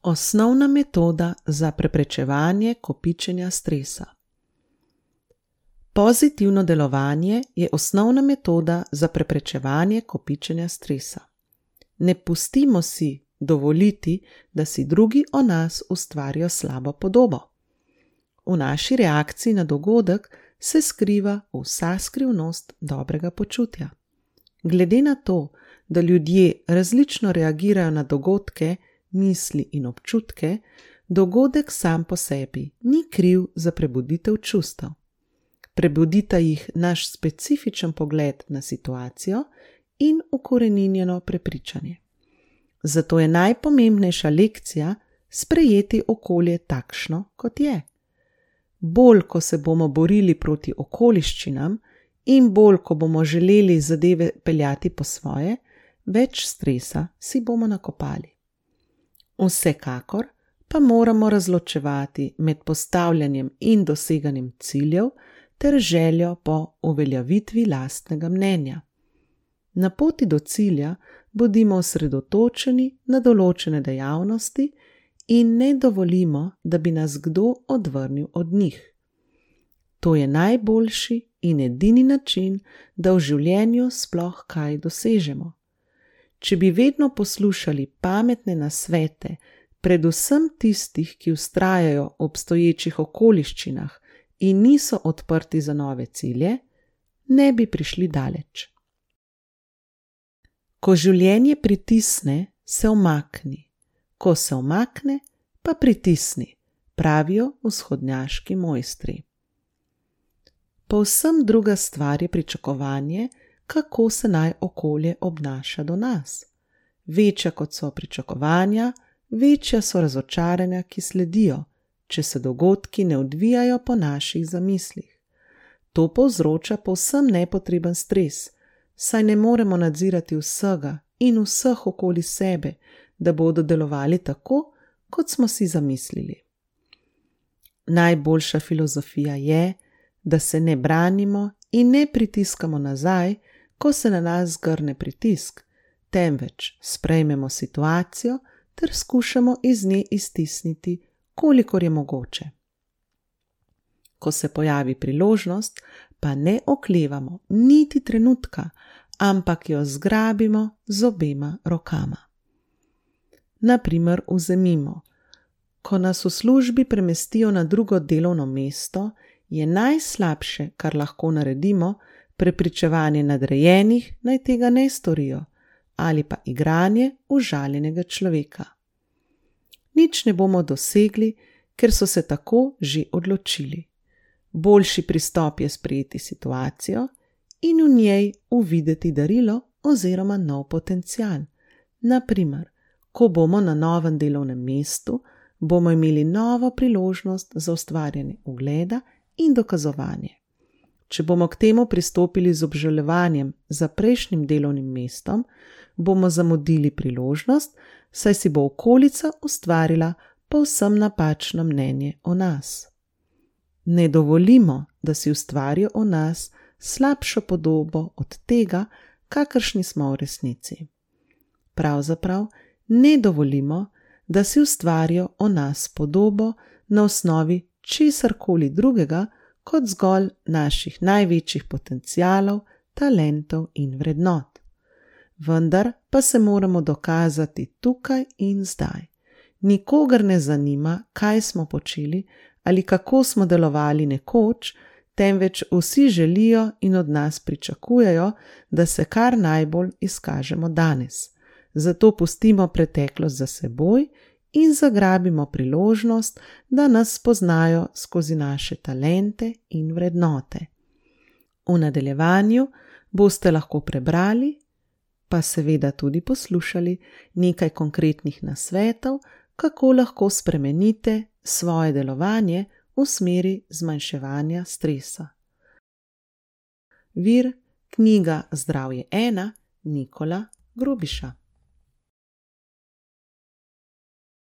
Osnovna metoda za preprečevanje kopičenja stresa. Pozitivno delovanje je osnovna metoda za preprečevanje kopičenja stresa. Ne pustimo si dovoliti, da si drugi o nas ustvarijo slabo podobo. V naši reakciji na dogodek se skriva vsa skrivnost dobrega počutja. Glede na to, da ljudje različno reagirajo na dogodke, misli in občutke, dogodek sam po sebi ni kriv za prebuditev čustev. Prebudita jih naš specifičen pogled na situacijo in ukoreninjeno prepričanje. Zato je najpomembnejša lekcija sprejeti okolje takšno, kot je. Bolj, ko se bomo borili proti okoliščinam in bolj, ko bomo želeli zadeve peljati po svoje, več stresa si bomo nakopali. Vsekakor pa moramo razločevati med postavljanjem in doseganjem ciljev ter željo po uveljavitvi lastnega mnenja. Na poti do cilja bodimo osredotočeni na določene dejavnosti in ne dovolimo, da bi nas kdo odvrnil od njih. To je najboljši in edini način, da v življenju sploh kaj dosežemo. Če bi vedno poslušali pametne nasvete, predvsem tistih, ki vztrajajo v obstoječih okoliščinah in niso odprti za nove cilje, ne bi prišli daleč. Ko življenje pritisne, se umakni. Ko se umakne, pa pritisni, pravijo vzhodnjaški mojstri. Povsem druga stvar je pričakovanje, kako se naj okolje obnaša do nas. Večja kot so pričakovanja, večja so razočaranja, ki sledijo, če se dogodki ne odvijajo po naših zamislih. To povzroča povsem nepotreben stres, saj ne moremo nadzirati vsega in vseh okoli sebe, da bodo delovali tako, kot smo si zamislili. Najboljša filozofija je, da se ne branimo in ne pritiskamo nazaj, ko se na nas zgrne pritisk, temveč sprejmemo situacijo ter skušamo iz nje iztisniti, kolikor je mogoče. Ko se pojavi priložnost, pa ne oklevamo niti trenutka, ampak jo zgrabimo z obema rokama. Na primer, vzemimo, ko nas v službi premestijo na drugo delovno mesto, je najslabše, kar lahko naredimo, prepričevanje nadrejenih, naj tega ne storijo, ali pa igranje užaljenega človeka. Nič ne bomo dosegli, ker so se tako že odločili. Boljši pristop je sprejeti situacijo in v njej uvideti darilo oziroma nov potencial. Na primer, ko bomo na novem delovnem mestu, bomo imeli novo priložnost za ustvarjanje ugleda in dokazovanje. Če bomo k temu pristopili z obžalovanjem za prejšnjim delovnim mestom, bomo zamudili priložnost, saj si bo okolica ustvarila povsem napačno mnenje o nas. Ne dovolimo, da si ustvarijo o nas slabšo podobo od tega, kakršni smo v resnici. Pravzaprav ne dovolimo, da si ustvarijo o nas podobo na osnovi česarkoli drugega, kot zgolj naših največjih potencialov, talentov in vrednot. Vendar pa se moramo dokazati tukaj in zdaj. Nikogar ne zanima, kaj smo počeli ali kako smo delovali nekoč, temveč vsi želijo in od nas pričakujejo, da se kar najbolj izkažemo danes. Zato pustimo preteklost za seboj in zagrabimo priložnost, da nas spoznajo skozi naše talente in vrednote. V nadaljevanju boste lahko prebrali, pa seveda tudi poslušali nekaj konkretnih nasvetov, kako lahko spremenite svoje delovanje v smeri zmanjševanja stresa. Vir: knjiga Zdravje 1, Nikola Grubiša.